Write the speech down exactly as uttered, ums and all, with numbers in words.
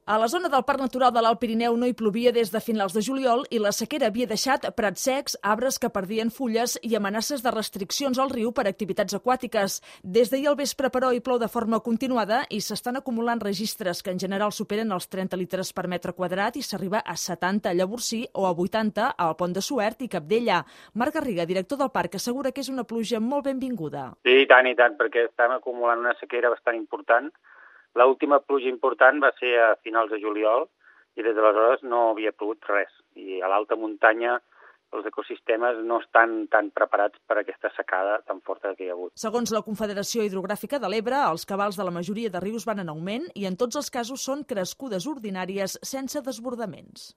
A la zona del Parc Natural de l'Alt Pirineu no hi plovia des de finals de juliol i la sequera havia deixat prats secs, arbres que perdien fulles i amenaces de restriccions al riu per activitats aquàtiques. Des d'ahir al vespre, però, hi plou de forma continuada i s'estan acumulant registres que en general superen els trenta litres per metre quadrat i s'arriba a setanta a Llavorsí o a vuitanta al Pont de Suert i Cabdella. Marc Garriga, director del parc, assegura que és una pluja molt benvinguda. Sí, i tant, i tant, perquè estem acumulant una sequera bastant important. L'última pluja important va ser a finals de juliol i des d'aleshores no havia plogut res. I a l'alta muntanya els ecosistemes no estan tan preparats per aquesta secada tan forta que hi ha hagut. Segons la Confederació Hidrogràfica de l'Ebre, els cabals de la majoria de rius van en augment i en tots els casos són crescudes ordinàries sense desbordaments.